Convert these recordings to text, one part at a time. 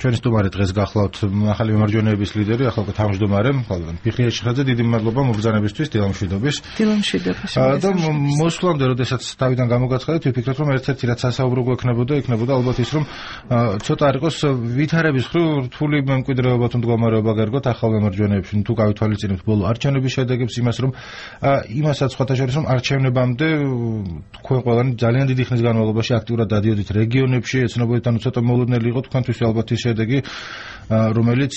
ჩვენი სტუმარი დღეს გახლავთ ახალი მემარჯვენეების ლიდერი, ახალ თავმჯდომარე ფიხრია ჩხაძე, დიდი მადლობა მობრძანებისთვის, დილამშვიდობის. და მოსვლამდე, როდესაც თავიდან გამოგაცხადეთ, ვიფიქრეთ, რომ ერთ-ერთი რაც ასაუბრო იქნებოდა ალბათ ის, რომ ცოტა არ იყოს ვითარების მხრივ რთული მემკვიდრეობა თუ მდგომარეობა გერგოთ ახალ მემარჯვენეებში, თუ გავითვალისწინებთ ბოლო არჩევნების შედეგებს, იმას რომ იმასაც სხვათა შორის რომ არჩევნებამდე თქვენ ყველანი ძალიან დიდი ხნის განმავლობაში აქტიურად დადიოდით რეგიონებში, ეცნობოდით, ანუ ცოტა მოულოდნელი იყო თქვენთვის ალბათ ის შედეგი, რომელიც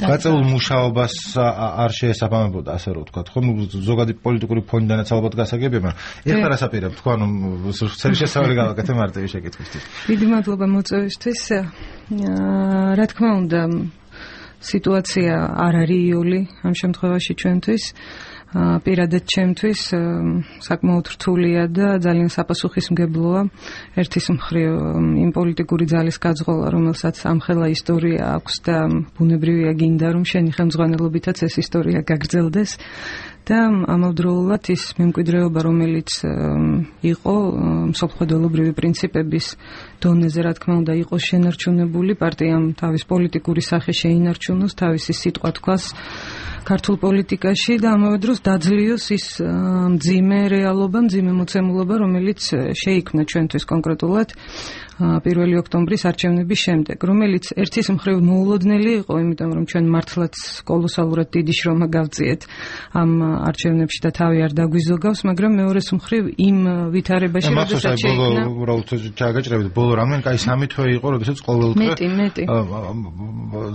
გაწეულ მუშაობას არ შეესაბამებოდა, ასე რომ ვთქვათ, ხო, ზოგადი პოლიტიკური ფონიდანაც ალბათ გასაგებია, ეხლა რას აპირებთ, თქვენ ცელი შესავალი გავაკეთე მარტივი შეკითხვისთვის. დიდი მადლობა მოწვევისთვის. რა თქმა უნდა, სიტუაცია არ არის იული ამ შემთხვევაში ჩვენთვის. პირადად ჩემთვის საკმაოდ რთულია და ძალიან საპასუხისმგებლოა ერთის მხრივ იმ პოლიტიკური ძალის გაძღოლა, რომელსაც ამხელა ისტორია აქვს და ბუნებრივია გინდა რომ შენი ხელმძღვანელობითაც ეს ისტორია გაგრძელდეს და ამავდროულად ის მემკვიდრეობა, რომელიც იყო მსოფლმხედველობრივი პრინციპების დონეზე, რა თქმა უნდა, იყო შენარჩუნებული, პარტიამ თავის პოლიტიკური სახე შეინარჩუნოს, თავისი სიტყვა თქვას ქართულ პოლიტიკაში და ამავე დროს დაძლიოს ის მძიმე რეალობა, მძიმე მოცემულობა, რომელიც შეიქმნა ჩვენთვის კონკრეტულად 1 ოქტომბრის არჩევნების შემდეგ, რომელიც ერთის მხრივ მოულოდნელი იყო, იმიტომ რომ ჩვენ მართლაც კოლოსალურად დიდი შრომა გავწიეთ ამ არჩევნებში და თავი არ დაგვიზოგავს, მაგრამ მეორეს მხრივ იმ ვითარებაში, როდესაც შეიქმნა უბრალოდ ჩაგაჭრებით, ბოლო რამდენი კაი 3 თვე იყო, როდესაც ყოველდღე მეტი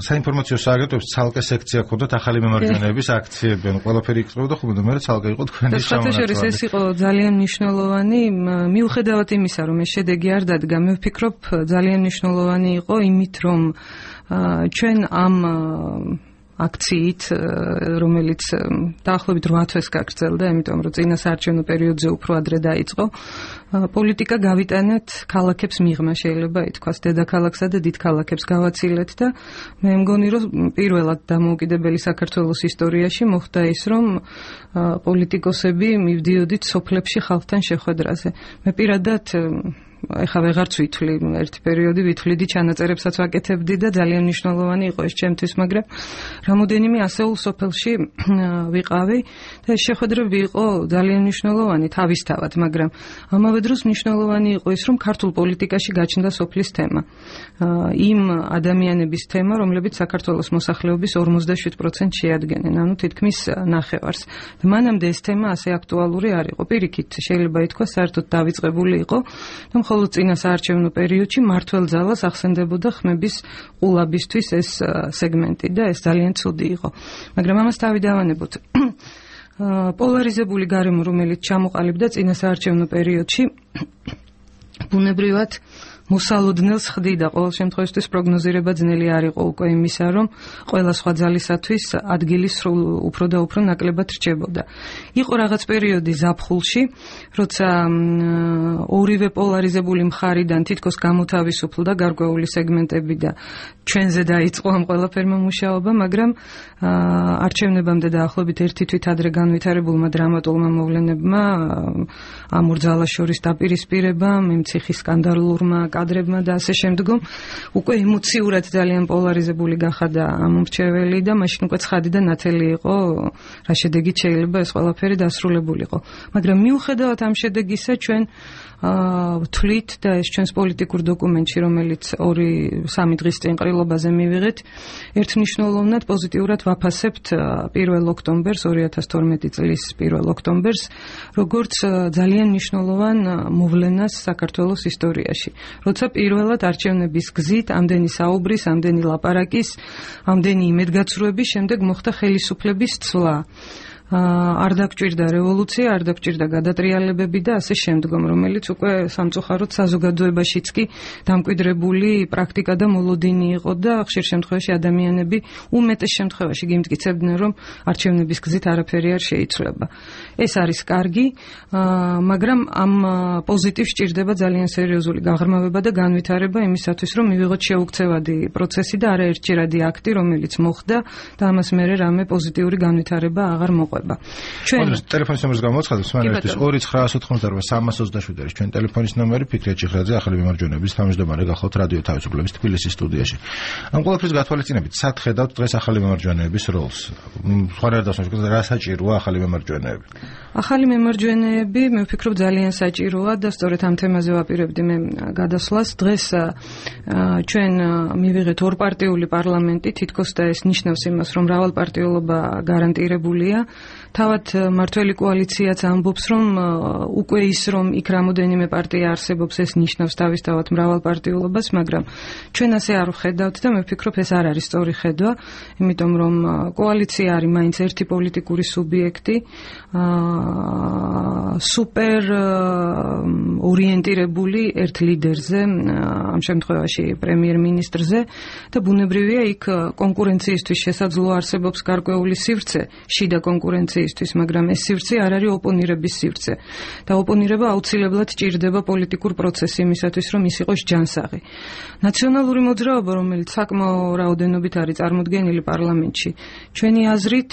საინფორმაციო სააგენტოებს ცალკე სექცია ჰქონდათ ახალი მემარჯვენეების აქციები, ანუ ყველაფერი იკრებოდა ხომ და მე ცალკე იყო თქვენი შემონაცვლება. ეს იყო ძალიან მნიშვნელოვანი, მიუხედავად იმისა, რომ ეს შედეგი არ დადგა, მე ვფიქრობ, ძალიან მნიშვნელოვანი იყო იმით, რომ ჩვენ ამ აქციით, რომელიც დაახლოებით 8 თვეს გაგრძელდა, იმიტომ რომ წინა საარჩევნო პერიოდზე უფრო ადრე დაიწყო, პოლიტიკა გავიტანეთ ქალაქებს მიღმა, შეიძლება ითქვას, დედაქალაქსა და დიდ ქალაქებს გავაცილეთ და მე მგონი, რომ პირველად დამოუკიდებელი საქართველოს ისტორიაში მოხდა ის, რომ პოლიტიკოსები მივდიოდით სოფლებში ხალხთან შეხვედრაზე. მე პირადად ეხლა ვეღარც ვითვლი, ერთი პერიოდი ვითვლიდი, ჩანაწერებსაც ვაკეთებდი და ძალიან მნიშვნელოვანი იყო ეს ჩემთვის, მაგრამ რამოდენიმე ასეულ სოფელში ვიყავი და ეს შეხვედრები იყო ძალიან მნიშვნელოვანი თავისთავად, მაგრამ ამავე დროს მნიშვნელოვანი იყო ის, რომ ქართულ პოლიტიკაში გაჩნდა სოფლის თემა. იმ ადამიანების თემა, რომლებიც საქართველოს მოსახლეობის 47% შეადგენენ, ანუ თითქმის ნახევარს. და მანამდე ეს თემა ასე აქტუალური არ იყო. პირიქით, შეიძლება ითქვას, საერთოდ დავიწყებული იყო, რომ ხოლო წინა საარჩევნო პერიოდში მართველ ძალას ახსენდებოდა ხმების ყულაბისთვის ეს სეგმენტი და ეს ძალიან ცუდი იყო. მაგრამ ამას თავი დავანებოთ. პოლარიზებული გარემო, რომელიც ჩამოყალიბდა წინა საარჩევნო პერიოდში, ბუნებრივად მოსალოდნელს ხდიდა, ყოველ შემთხვევაში პროგნოზირება ძნელი არ იყო უკვე იმისა, რომ ყველა სხვა ძალისათვის ადგილი უფრო და უფრო ნაკლებად რჩებოდა. იყო რაღაც პერიოდი ზაფხულში, როცა ორივე პოლარიზებული მხარიდან თითქოს გამოთავისუფლდა გარკვეული სეგმენტები და ჩვენზე დაიწყო ამ ყველაფერმა მუშაობა, მაგრამ არჩევნებამდე დაახლოებით ერთი თვით ადრე განვითარებულმა დრამატულმა მოვლენებმა ამ ორ ძალას შორის დაპირისპირებამ, მემციხის სკანდალურმა კადრებმა და ასე შემდგომ უკვე ემოციურად ძალიან პოლარიზებული გახადა ამ მრჩეველი და მაშინ უკვე ცხადი და ნათელი იყო, რა შედეგით შეიძლება ეს ყველაფერი დასრულებულიყო. მაგრამ მიუხედავად ამ შედეგისა, ჩვენ ვთვლით და ეს ჩვენს პოლიტიკურ დოკუმენტში, რომელიც 2-3 დღის წინ ყრილობაზე მივიღეთ, ერთმნიშვნელოვნად პოზიტიურად ვაფასებთ 1 ოქტომბერს, 2012 წლის 1 ოქტომბერს, როგორც ძალიან მნიშვნელოვან მოვლენას საქართველოს ისტორიაში. როცა პირველად არჩევნების გზით, ამდენი საუბრის, ამდენი ლაპარაკის, ამდენი იმედგაცრუების შემდეგ მოხდა ხელისუფლების ცვლა. არ დაგჭირდა რევოლუცია, არ დაგჭირდა გადატრიალებები და ასე შემდგომ, რომელიც უკვე სამწუხაროდ საზოგადოებაშიც კი დამკვიდრებული პრაქტიკა და მოლოდინი იყო და ხშირ შემთხვევაში ადამიანები უმეტეს შემთხვევაში გიმტკიცებდნენ, რომ არჩევნების გზით არაფერი არ შეიცვლება. ეს არის კარგი, მაგრამ ამ პოზიტივს სჭირდება ძალიან სერიოზული გაღრმავება და განვითარება იმისათვის, რომ მივიღოთ შეუქცევადი პროცესი და არაერთჯერადი აქტი, რომელიც მოხდა და ამას მერე რამე პოზიტიური განვითარება აღარ მოყვა. მოყვება. ჩვენ ტელეფონის ნომერს გამოცხადებ, სმენელისთვის 2988 არის ჩვენ ტელეფონის ნომერი, ფიქრეთ ჭიხრაძე, ახალი მემარჯვენეების თავმჯდომარე გახლავთ რადიო თავისუფლების თბილისის სტუდიაში. ამ ყველაფრის გათვალისწინებით, სად ხედავთ დღეს ახალი მემარჯვენეების როლს? სხვა რა დასაჭიროა, რა საჭიროა ახალი მემარჯვენეები? ახალი მემარჯვენეები, მე ვფიქრობ, ძალიან საჭიროა და სწორედ ამ თემაზე ვაპირებდი მე გადასვლას. დღეს ჩვენ მივიღეთ ორპარტიული პარლამენტი, თითქოს და ეს ნიშნავს იმას, რომ მრავალპარტიულობა გარანტირებულია. თავად მართველი კოალიციაც ამბობს, რომ უკვე ის, რომ იქ რამოდენიმე პარტია არსებობს, ეს ნიშნავს თავისთავად მრავალპარტიულობას, მაგრამ ჩვენ ასე არ ვხედავთ და მე ვფიქრობ, ეს არ არის სწორი ხედვა, იმიტომ რომ კოალიცია არის მაინც ერთი პოლიტიკური სუბიექტი, სუპერ ორიენტირებული ერთ ლიდერზე, ამ შემთხვევაში პრემიერ-მინისტრზე და ბუნებრივია იქ კონკურენციისთვის შესაძლო არსებობს გარკვეული სივრცე, შიდა კონკურენციისთვის, მაგრამ ეს სივრცე არ არის ოპონირების სივრცე და ოპონირება აუცილებლად ჭირდება პოლიტიკურ პროცესს იმისათვის, რომ ის იყოს ჯანსაღი. ნაციონალური მოძრაობა, რომელიც საკმაო რაოდენობით არის წარმოდგენილი პარლამენტში, ჩვენი აზრით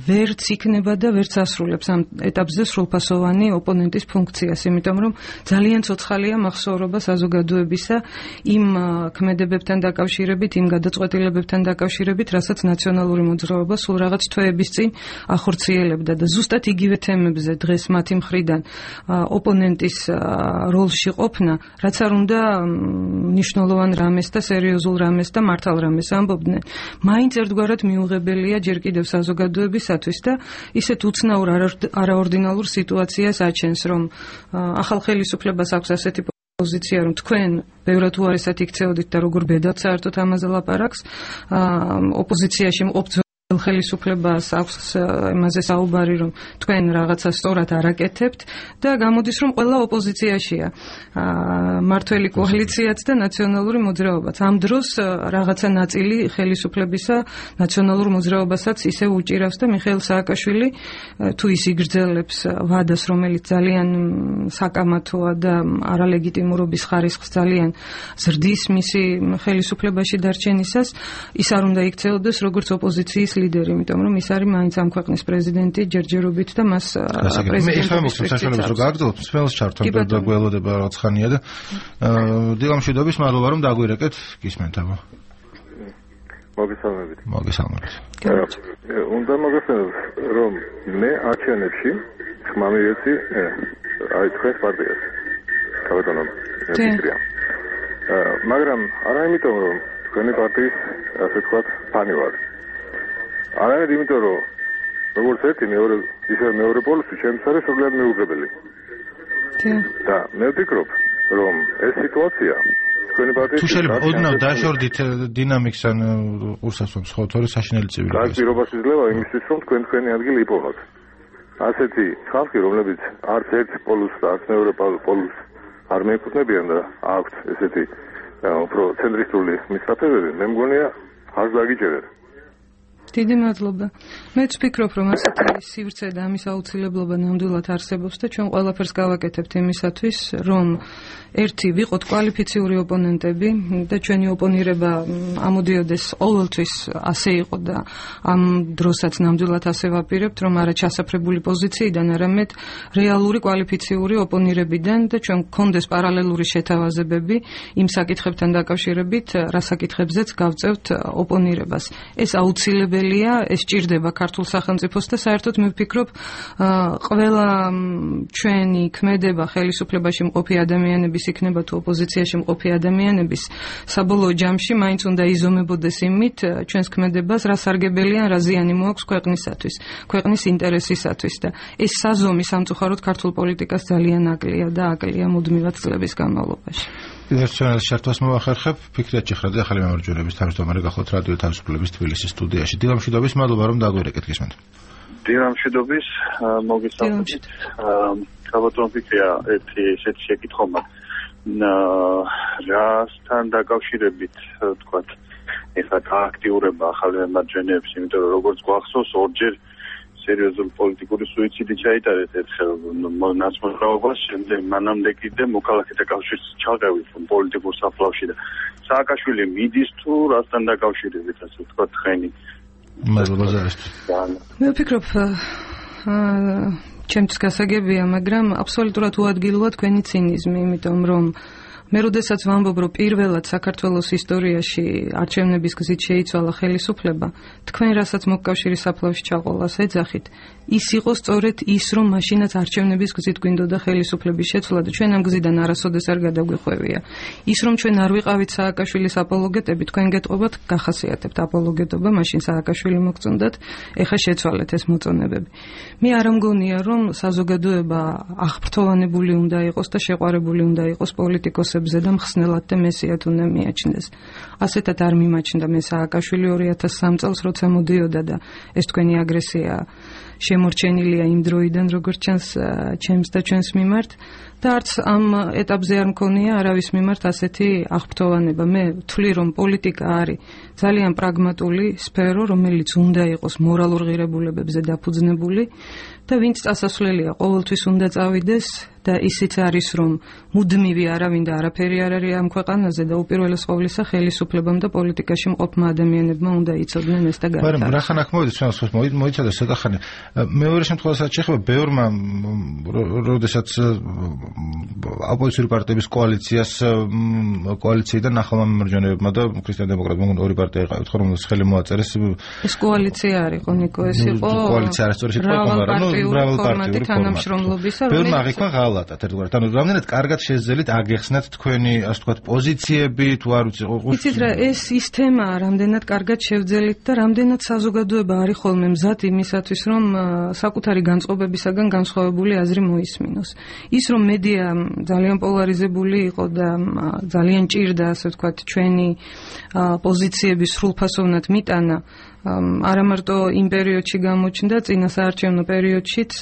ვერც იქნება და ვერც ასრულებს ამ ეტაპზე სრულფასოვანი ოპონენტის ფუნქციას, იმიტომ რომ ძალიან ცოცხალია მახსოვრობა საზოგადოებისა იმ ქმედებებთან დაკავშირებით, იმ გადაწყვეტილებებთან დაკავშირებით, რასაც ნაციონალური მოძრაობა სულ რაღაც თვეების წინ ახორციელებდა და ზუსტად იგივე თემებზე დღეს მათი მხრიდან ოპონენტის როლში ყოფნა, რაც არ უნდა მნიშვნელოვან რამეს და სერიოზულ რამეს და მართალ რამეს ამბობდნენ, მაინც ერთგვარად მიუღებელია ჯერ კიდევ საზოგადოებისათვის და ისეთ უცნაურ არაორდინალურ სიტუაციას აჩენს, რომ ახალ ხელისუფლებას აქვს ასეთი პოზიცია, რომ თქვენ ბევრად უარესად იქცეოდით და როგორ ბედად საერთოდ ამაზე ლაპარაკს, ოპოზიციაში მყოფ ხელისუფლებას აქვს იმაზე საუბარი, რომ თქვენ რაღაცა სწორად არ აკეთებთ და გამოდის, რომ ყველა ოპოზიციაშია, მართველი კოალიციაც და ნაციონალური მოძრაობაც. ამ დროს რაღაცა ნაწილი ხელისუფლებისა ნაციონალურ მოძრაობასაც ისე უჭირავს და მიხეილ სააკაშვილი თუ ის იგრძელებს ვადას, რომელიც ძალიან საკამათოა და არალეგიტიმურობის ხარისხს ძალიან ზრდის მისი ხელისუფლებაში დარჩენისას, ის არ უნდა იქცეოდეს როგორც ოპოზიციის ლიდერი, იმიტომ რომ ის არის მაინც ამ ქვეყნის პრეზიდენტი ჯერჯერობით და მას პრეზიდენტის მე ხომ საშუალებას რო გააგრძელოთ, სპეციალს ჩართობ და გველოდება რაღაც ხანია და დილამშვიდობის მადლობა რომ დაგვირეკეთ, გისმენთ აბა. მოგესალმებით. მოგესალმებით. უნდა მოგესალმებით, რომ მე არჩევნებში ხმამიეცი აი თქვენს პარტიას. კაბატონო ფიქრია. მაგრამ არა იმიტომ რომ თქვენი პარტიის ასე ვთქვათ ფანი ვარ. არამედ იმიტომ რომ როგორც ერთი მეორე ისე მეორე პოლუსი ჩემს არის სულად მიუღებელი. და მე ვფიქრობ რომ ეს სიტუაცია თქვენი პარტიის თუ შეიძლება ოდნავ დაშორდით დინამიკს ან ყურსასვამს ხო თორე საშინელი ცივილიზაცია. რაც პირობას იძლევა იმისთვის რომ თქვენი ადგილი იპოვნოთ. ასეთი ხალხი რომლებიც არც ერთ პოლუსს და არც მეორე პოლუსს არ მეეკუთვნებიან და აქვთ ესეთი უფრო ცენტრისტული მისწრაფებები, მე მგონია არ დაგიჭერეთ. დიდი მადლობა. მეც ვფიქრობ, რომ ასეთი სივრცე და ამის აუცილებლობა ნამდვილად არსებობს და ჩვენ ყველაფერს გავაკეთებთ იმისათვის, რომ ერთი ვიყოთ კვალიფიციური ოპონენტები და ჩვენი ოპონირება ამოდიოდეს ყოველთვის ასე იყო და ამ დროსაც ნამდვილად ასე ვაპირებთ, რომ არა ჩასაფრებული პოზიციიდან, არამედ რეალური კვალიფიციური ოპონირებიდან და ჩვენ გქონდეს პარალელური შეთავაზებები იმ საკითხებთან დაკავშირებით, რა საკითხებზეც გავწევთ ოპონირებას. ეს აუცილებელია, ეს ჭირდება ქართულ სახელმწიფოს და საერთოდ მე ვფიქრობ, ყველა ჩვენი ქმედება ხელისუფლებაში მყოფი ადამიანების იქნება თუ ოპოზიციაში მყოფი ადამიანების საბოლოო ჯამში მაინც უნდა იზომებოდეს იმით ჩვენს ქმედებას რა სარგებელია, რა ზიანი მოაქვს ქვეყნისათვის, ქვეყნის ინტერესისათვის და ეს საზომი სამწუხაროდ ქართულ პოლიტიკას ძალიან აკლია და აკლია მუდმივად წლების განმავლობაში. ერთჩანალის შარტვას მოვახერხებ, ფიქრეთ ჭიხრაძე, ახალი მემარჯვენეების თავმჯდომარე გახლავთ რადიო თავისუფლების თბილისის სტუდიაში. დილამშვიდობის, მადლობა რომ დაგვირეკეთ, გისმენთ. დილამშვიდობის, მოგესალმებით. კაბატონ ფიქრია ერთი ესეთი შეკითხვა მაქვს. რასთან დაკავშირებით, თქვათ, ეხლა გააქტიურება ახალი მემარჯვენეებს, იმიტომ რომ როგორც გვახსოვს, ორჯერ სერიოზული პოლიტიკური სუიციდი ჩაიტარეთ ერთხელ ნაცმოძრაობას, შემდეგ მანამდე კიდე მოქალაქეთა კავშირის ჩაღევით პოლიტიკურ საფლავში და სააკაშვილი მიდის თუ რასთან დაკავშირებით, ასე ვთქვათ, თხენი მადლობა ზარისთვის. მე ვფიქრობ ჩემთვის გასაგებია, მაგრამ აბსოლუტურად უადგილოა თქვენი ცინიზმი, იმიტომ რომ მე როდესაც ვამბობ, რომ პირველად საქართველოს ისტორიაში არჩევნების გზით შეიცვალა ხელისუფლება, თქვენ რასაც მოკავშირის საფლავში ჩაყოლას ეძახით, ის იყო სწორედ ის, რომ მაშინაც არჩევნების გზით გვინდოდა ხელისუფლების შეცვლა და ჩვენ ამ გზიდან არასოდეს არ გადაგვიხვევია. ის, რომ ჩვენ არ ვიყავით სააკაშვილის აპოლოგეტები, თქვენ გეტყობათ, გახასიათებთ აპოლოგეტობა, მაშინ სააკაშვილი მოგწონდათ, ეხა შეცვალეთ ეს მოწონებები. მე არ მგონია, რომ საზოგადოება აღფრთოვანებული უნდა იყოს და შეყვარებული უნდა იყოს პოლიტიკოსებზე და მხსნელად და მესიად უნდა მიაჩნდეს. ასეთად არ მიმაჩნდა მე სააკაშვილი 2003 წელს, როცა მოდიოდა და ეს თქვენი აგრესია შემორჩენილია იმ დროიდან, როგორც ჩანს ჩემს და ჩვენს მიმართ და არც ამ ეტაპზე არ მქონია არავის მიმართ ასეთი აღფრთოვანება. მე ვთვლი, რომ პოლიტიკა არის ძალიან პრაგმატული სფერო, რომელიც უნდა იყოს მორალურ ღირებულებებზე დაფუძნებული და ვინც წასასვლელია, ყოველთვის უნდა წავიდეს და ისიც არის, რომ მუდმივი არავინ და არაფერი არ არის ამ ქვეყანაზე და უპირველეს ყოვლისა ხელისუფლებამ და პოლიტიკაში მყოფმა ადამიანებმა უნდა იცოდნენ ეს და გაიტაროს. მაგრამ რახან აქ მოვიდეს ჩვენს მოიცადა ცოტა ხანი. მეორე შემთხვევასაც შეხება ბევრმა, როდესაც ოპოზიციური პარტიების კოალიციიდან ახალმა მემარჯვენეებმა და ქრისტიან დემოკრატებმა ორი პარტია იყავით, ხო, რომელსაც ხელი მოაწერეს. ეს კოალიცია არ იყო, ნიკო, ეს იყო კოალიცია არის სწორი სიტყვა, მაგრამ მრავალპარტიული თანამშრომლობისა, ბევრმა აღიქვა ღალატად ერთგვარად. ანუ რამდენად კარგად შეძლებთ აგეხსნათ თქვენი, ასე ვთქვათ, პოზიციები, თუ არ ვიცი, იცით რა, ეს ის თემაა, რამდენად კარგად შევძელით და რამდენად საზოგადოება არის ხოლმე მზად იმისათვის, რომ საკუთარი განწყობებისაგან განსხვავებული აზრი მოისმინოს. ის რომ მედია ძალიან პოლარიზებული იყო და ძალიან ჭირდა, ასე ვთქვათ, ჩვენი პოზიციების სრულფასოვნად მიტანა, არა მარტო იმ პერიოდში გამოჩნდა, წინა საარჩევნო პერიოდშიც,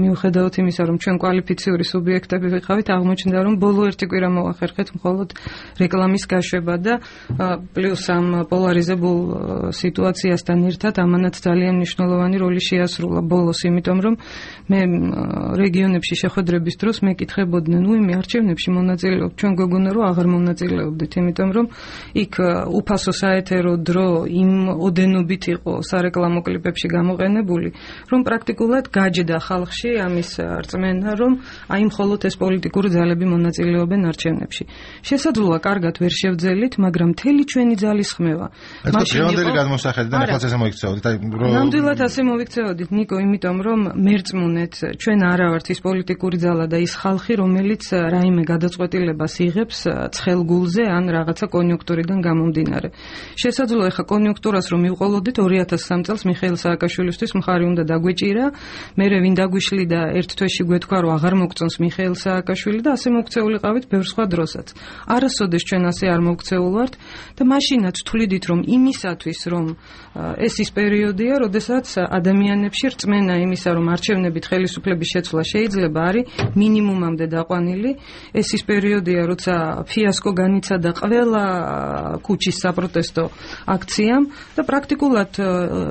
მიუხედავად იმისა, რომ ჩვენ კვალიფიციური სუბიექტები ვიყავით, აღმოჩნდა, რომ ბოლო ერთი კვირა მოახერხეთ მხოლოდ რეკლამის გაშვება და პლუს ამ პოლარიზებულ სიტუაციასთან ერთად ამანაც ძალიან მნიშვნელოვანი როლი შეასრულა ბოლოს, იმიტომ რომ მე რეგიონებში შეხვედრების დროს მეკითხებოდნენ, იმ არჩევნებში მონაწილეობთ, ჩვენ გვეგონა რომ აღარ მონაწილეობდით, იმიტომ რომ იქ უფასო საეთერო დრო იმ ოდენობით იყო სარეკლამო კლიპებში გამოყენებული, რომ პრაქტიკულად გაჯდა ხალხში ამის რწმენა, რომ აი მხოლოდ ეს პოლიტიკური ძალები მონაწილეობენ არჩევნებში. შესაძლოა კარგად ვერ შევძელით, მაგრამ მთელი ჩვენი ძალის ხმევა. მაშინ გადმოსახედიდან ახლა ესე მოიქცეოდით, ნამდვილად ასე მოიქცეოდით, ნიკო, იმიტომ რომ მერწმუნეთ, ჩვენ არა ვართ ის პოლიტიკური ძალა და ის ხალხი, რომელიც რაიმე გადაწყვეტილებას იღებს ცხელგულზე ან რაღაცა კონიუნქტურიდან გამომდინარე. შესაძლოა ახლა კონიუნქტურას რომ მივყოლოდით 2003 წელს მიხეილ სააკაშვილისთვის მხარი უნდა დაგვეჭირა, მერე ვინ დაგვიშლი და ერთ თვეში გვეთქვა რომ აღარ მოგწონს მიხეილ სააკაშვილი და ასე მოგწეულიყავით ბევრ სხვა დროსაც. არასოდეს ჩვენ ასე არ მოგწეულ ვართ და მაშინაც თვლიდით რომ იმისათვის რომ ეს ის პერიოდია, როდესაც ადამიანებში რწმენა იმისა რომ არჩევნებით ხელისუფლების შეცვლა შეიძლება არის მინიმუმამდე დაყვანილი. ეს ის პერიოდია, როცა ფიასკო განიცადა ყველა ქუჩის საპროტესტო აქციამ და პრაქტიკულად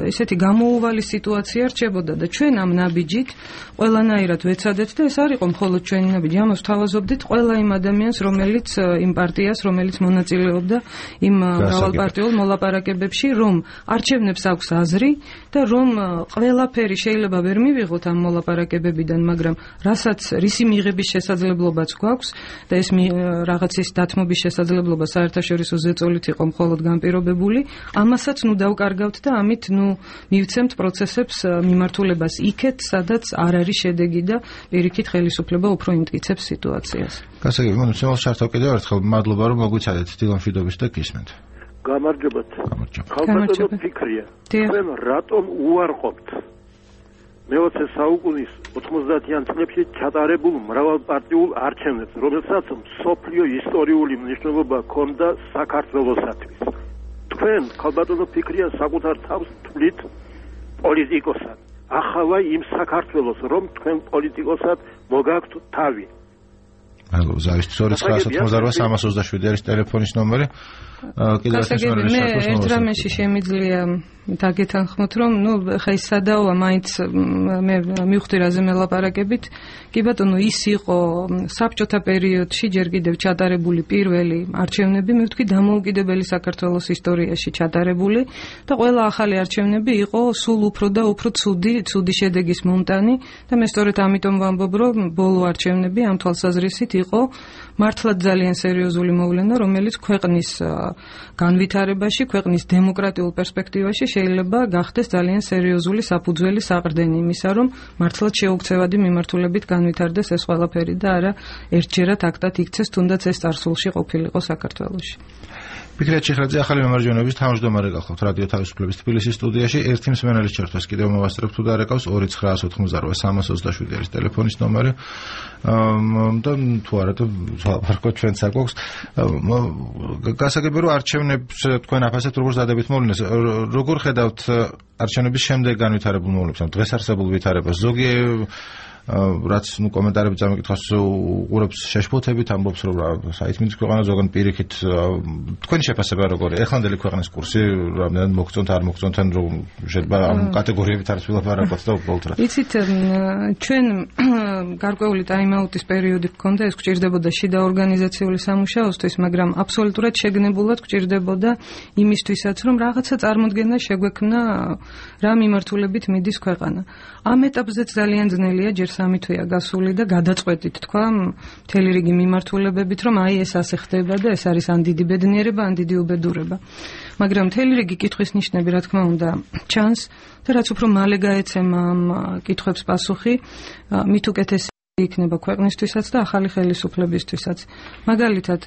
ესეთი გამოუვალი სიტუაცია რჩებოდა და ჩვენ ამ ნაბიჯით ყველანაირად ვეცადეთ და ეს არ იყო მხოლოდ ჩვენი ნაბიჯი, ამას ვთავაზობდით ყველა იმ ადამიანს, რომელიც იმ პარტიას, რომელიც მონაწილეობდა იმ მრავალპარტიულ მოლაპარაკებებში, რომ არჩევნებს აქვს აზრი და რომ ყველაფერი შეიძლება ვერ მივიღოთ ამ მოლაპარაკებებიდან, მაგრამ რასაც რისი მიღების შესაძლებლობაც გვაქვს და ეს რაღაცის დათმობის შესაძლებლობა საერთაშორისო ზეწოლით იყო მხოლოდ განპირობებული, ამასაც ნუ დავკარგავთ და ამით ნუ მივცემთ პროცესებს მიმართულებას იქეთ, სადაც არ არის შედეგი და პირიქით ხელისუფლება უფრო იმტკიცებს სიტუაციას. გასაგები, მან შემოს შართავ კიდევ ერთხელ მადლობა რომ მოგვიცადეთ დილამშვიდობის და გისმენთ. გამარჯობათ. ხალხო ფიქრია. თქვენ რატომ უარყოფთ მე-20 საუკუნის 90-იან წლებში ჩატარებულ მრავალპარტიულ არჩევნებს, რომელსაც მსოფლიო ისტორიული მნიშვნელობა ჰქონდა საქართველოსათვის. თქვენ ხალბატონო ფიქრია საკუთარ თავს თვლით პოლიტიკოსად. ახალა იმ საქართველოს, რომ თქვენ პოლიტიკოსად მოგაქვთ თავი. მადლობა, ზავის 298 327 არის ტელეფონის ნომერი. კიდევ ერთი სპეციალისტი მე ერთ რამეში შემიძლია დაგეთანხმოთ, რომ ხა ის სადაოა მაინც მე მივხვდი რაზე მელაპარაკებით. კი ბატონო, ის იყო საბჭოთა პერიოდში ჯერ კიდევ ჩატარებული პირველი არჩევნები, მე ვთქვი დამოუკიდებელი საქართველოს ისტორიაში ჩატარებული და ყველა ახალი არჩევნები იყო სულ უფრო და უფრო ცუდი შედეგის მომტანი და მე სწორედ ამიტომ ვამბობ, რომ ბოლო არჩევნები ამ თვალსაზრისით იყო მართლაც ძალიან სერიოზული მოვლენა, რომელიც ქვეყნის განვითარებაში, ქვეყნის დემოკრატიულ პერსპექტივაში შეიძლება გახდეს ძალიან სერიოზული საფუძველი საყრდენი იმისა, რომ მართლაც შეუქცევადი მიმართულებით განვითარდეს ეს ყველაფერი და არა ერთჯერად აქტად იქცეს, თუნდაც ეს წარსულში ყოფილიყო საქართველოში. ფიქრია ჩიხრაძე, ახალი მემარჯვენეობის თავმჯდომარე გახლავთ რადიო თავისუფლების თბილისის სტუდიაში. ერთი მსმენელის ჩართვას კიდევ მოვასწრებ თუ დარეკავს 2988 არის ტელეფონის ნომერი. და თუ არა და ვაპარაკოთ ჩვენც არ გვაქვს. გასაგებია რომ არჩევნებს თქვენ აფასებთ როგორც დადებით მოვლენას. როგორ ხედავთ არჩევნების შემდეგ განვითარებულ მოვლენებს, ამ დღეს არსებულ ვითარებას? ზოგი რაც კომენტარები წამიკითხავს უყურებს შეშფოთებით, ამბობს რომ საითმის ქვეყანა ზოგან პირიქით თქვენი შეფასება როგორია? ეხლანდელი ქვეყნის კურსი რამდენად მოგწონთ, არ მოგწონთ, ან რომ შეიძლება ამ კატეგორიებით არის ვილაპარაკოთ და უბრალოდ რა. იცით, ჩვენ გარკვეული ტაიმაუტის პერიოდი გქონდა, ეს გვჭირდებოდა შიდა ორგანიზაციული სამუშაოსთვის, მაგრამ აბსოლუტურად შეგნებულად გვჭირდებოდა იმისთვისაც, რომ რაღაცა წარმოდგენა შეგვექმნა რა მიმართულებით მიდის ქვეყანა. ამ ეტაპზეც ძალიან ძნელია ჯერ სამი თვეა გასული და გადაწყვეტით თქვა მთელი რიგი მიმართულებებით, რომ აი ეს ასე ხდება და ეს არის ან დიდი ბედნიერება, ან დიდი უბედურება. მაგრამ მთელი რიგი კითხვის ნიშნები, რა თქმა უნდა, ჩანს და რაც უფრო მალე გაეცემა ამ კითხვებს პასუხი, მით უკეთესი იქნება ქვეყნისთვისაც და ახალი ხელისუფლებისთვისაც. მაგალითად,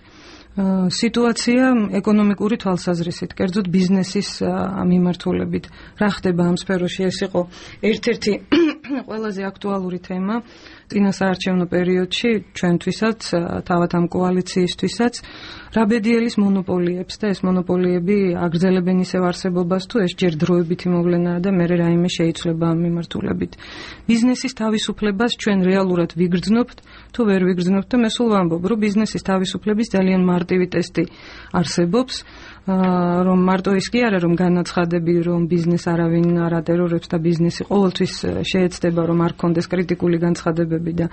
სიტუაცია ეკონომიკური თვალსაზრისით, კერძოდ ბიზნესის მიმართულებით. რა ხდება ამ სფეროში? ეს იყო ერთ-ერთი ყველაზე აქტუალური თემა წინა საარჩევნო პერიოდში ჩვენთვისაც, თავად ამ კოალიციისთვისაც. რა ბედიელის მონოპოლიებს და ეს მონოპოლიები აგრძელებენ ისევ არსებობას, თუ ეს ჯერ დროებითი მოვლენაა და მერე რაიმე შეიცვლება ამ მიმართულებით. ბიზნესის თავისუფლებას ჩვენ რეალურად ვიგრძნობთ, თუ ვერ ვიგრძნობთ და მე სულ ვამბობ, რომ ბიზნესის თავისუფლების ძალიან მარტივი ტესტი არსებობს, რომ მარტო ის კი არა, რომ განაცხადები, რომ ბიზნეს არავინ არ ატერორებს და ბიზნესი ყოველთვის შეეცდება, რომ არ კონდეს კრიტიკული განცხადებები და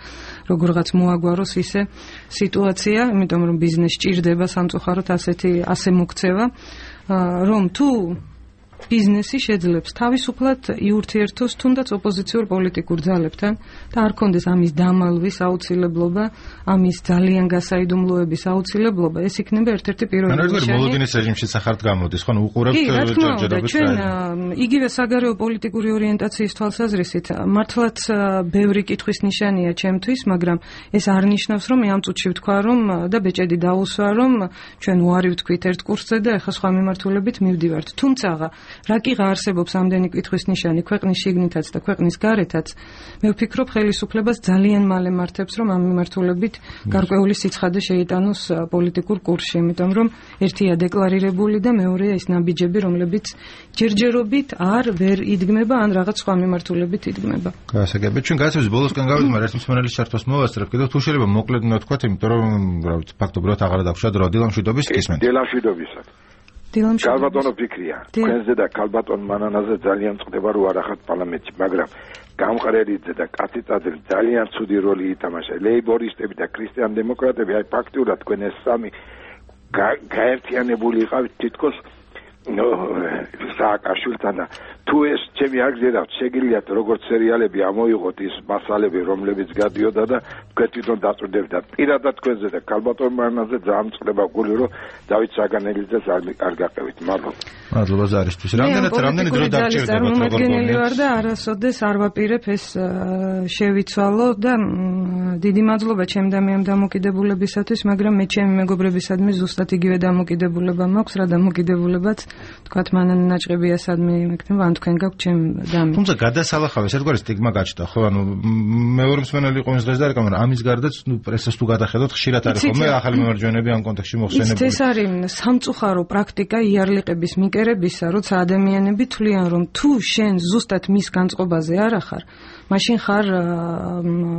როგორღაც მოაგვაროს ისე სიტუაცია, იმიტომ რომ ბიზნეს ჭირდება სამწუხაროდ ასე მოქცევა, რომ თუ ბიზნესი შეძლებს თავისუფლად იურთიერთოს თუნდაც ოპოზიციურ პოლიტიკურ ძალებთან და არ კონდეს ამის დამალვის აუცილებლობა, ამის ძალიან გასაიდუმლოების აუცილებლობა, ეს იქნება ერთ-ერთი პირველი ნიშანი. მოლოდინის რეჟიმში სახართ გამოდის, ხო, უყურებთ ჯერჯერობით. ჩვენ იგივე საგარეო პოლიტიკური ორიენტაციის თვალსაზრისით მართლაც ბევრი კითხვის ნიშანია ჩემთვის, მაგრამ ეს არ ნიშნავს, რომ მე ამ წუთში ვთქვა, რომ და ბეჭედი დაუსვა, რომ ჩვენ უარი ვთქვით ერთ კურსზე და ახლა სხვა მიმართულებით მივდივართ. თუმცა რა კი არსებობს ამდენი კითხვის ნიშანი ქვეყნის შიგნითაც და ქვეყნის გარეთაც, მე ვფიქრობ ხელისუფლებას ძალიან მალე მართებს, რომ ამ მიმართულებით გარკვეული სიცხადე შეიტანოს პოლიტიკურ კურსში, იმიტომ რომ ერთია დეკლარირებული და მეორეა ის ნაბიჯები, რომლებიც ჯერჯერობით ვერ იდგმება ან რაღაც სხვა მიმართულებით იდგმება. გასაგებია, ჩვენ გასაუბრების ბოლოსკენ გავიდით, მაგრამ ერთ მსმენელის ჩართვას მოვასწრებ, კიდევ თუ შეიძლება მოკლედ ვთქვათ, იმიტომ რომ ფაქტობრივად აღარ დაგვშვა დრო დილამშვიდობის კისმენთ. დილამშვიდობისად. ქალბატონო ფიქრია, თქვენზე და ქალბატონ მანანაზე ძალიან წდება რომ არ ახართ პარლამენტში, მაგრამ გამყრერიძე და კაციწაძე ძალიან ცუდი როლი ითამაშა. ლეიბორისტები და ქრისტიან დემოკრატები, აი ფაქტურად თქვენ ეს სამი გაერთიანებული იყავით თითქოს სააკაშვილთან და თუ ეს ჩემი არ გზირავთ, შეგიძლიათ როგორც სერიალები ამოიღოთ ის მასალები, რომლებიც გადიოდა და თქვენ თვითონ დაწვდებით და პირადად თქვენზე და ქალბატონ მანანაზე ძალიან წდება გული, რომ დავით საგანელიძეს არ გაყევით. მადლობა ზარისთვის. რამდენი დრო დაგჭირდებათ წარმომადგენელი ვარ და არასოდეს არ ვაპირებ ეს შევიცვალო და დიდი მადლობა ჩემ და მე ამ დამოკიდებულებისათვის, მაგრამ მე ჩემი მეგობრებისადმი ზუსტად იგივე დამოკიდებულება მაქვს, რა დამოკიდებულებაც თქვათ მანან ნაჭყებია სადმე იმექნება, ან თქვენ გაქვთ ჩემ დამი. თუმცა გადასალახავ ეს ერთგვარი სტიგმა გაჩნდა, ხო, ანუ მეორე მსმენელი იყო ის დღეს და რეკამა, ამის გარდაც პრესას თუ გადახედოთ, ხშირად არის ხოლმე ახალი მემარჯვენეები ამ კონტექსტში მოხსენებული. ეს არის სამწუხარო პრაქტიკა იარლიყების მიკერებისა, როცა ადამიანები თვლიან, რომ თუ შენ ზუსტად მის განწყობაზე არ ახარ, მაშინ ხარ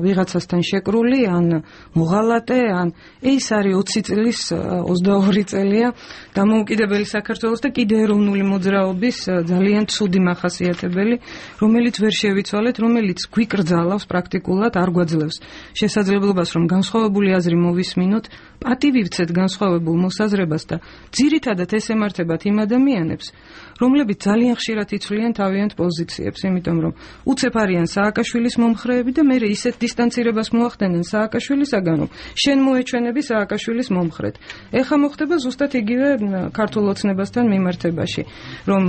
ვიღაცასთან შეკრული, ან მოღალატე, ან ეს არის 20 წლის 22 წელია დამოუკიდებელი საქართველოს და კიდე ეროვნული მოძრაობის ძალიან ცუდი მახასიათებელი, რომელიც ვერ შევიცვალეთ, რომელიც გვიკრძალავს პრაქტიკულად, არ გვაძლევს შესაძლებლობას, რომ განსხვავებული აზრი მოვისმინოთ, პატივივცეთ განსხვავებულ მოსაზრებას და ძირითადად ეს ემართებათ იმ ადამიანებს, რომლებიც ძალიან ხშირად იცვლიან თავიანთ პოზიციებს, იმიტომ რომ უცებ არიან სააკაშვილის მომხრეები და მე ისეთ დისტანცირებას მოახდენენ სააკაშვილისაგან, რომ შენ მოეჩვენები სააკაშვილის მომხრედ. ეხლა მოხდება ზუსტად იგივე ქართულ ოცნებასთან მიმართებაში, რომ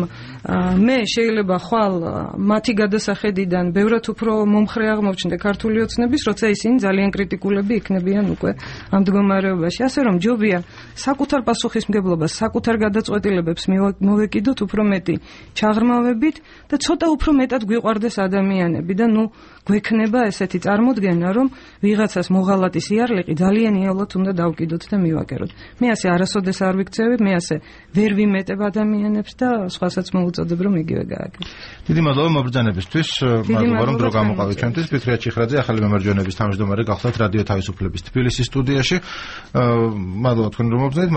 მე შეიძლება ხვალ მათი გადასახედიდან ბევრად უფრო მომხრე აღმოჩნდე ქართული ოცნების, როცა ისინი ძალიან კრიტიკულები იქნებიან უკვე ამ მდგომარეობაში. ასე რომ ჯობია საკუთარ პასუხისმგებლობას, საკუთარ გადაწყვეტილებებს მოვეკიდოთ უფრო მეტი ჩაღრმავებით და ცოტა უფრო მეტად გვიყვარდეს ადამიანები და გვექნება ესეთი წარმოდგენა, რომ ვიღაცას მოღალატის იარლიყი ძალიან იოლად უნდა დავკიდოთ და მივაკეროთ. მე ასე არასოდეს არ ვიქცევებ, მე ასე ვერ ვიმეტებ ადამიანებს და სხვასაც მოუწოდებ, რომ იგივე გააკეთო. დიდი მადლობა მობრძანებისთვის, მადლობა რომ დრო გამოყავით ჩვენთვის. ფიქრია ჭიხრაძე, ახალი მემარჯვენეების თავმჯდომარე, გახლავთ რადიო თავისუფლების თბილისის სტუდიაში. მადლობა თქვენ რომ მობრძანეთ.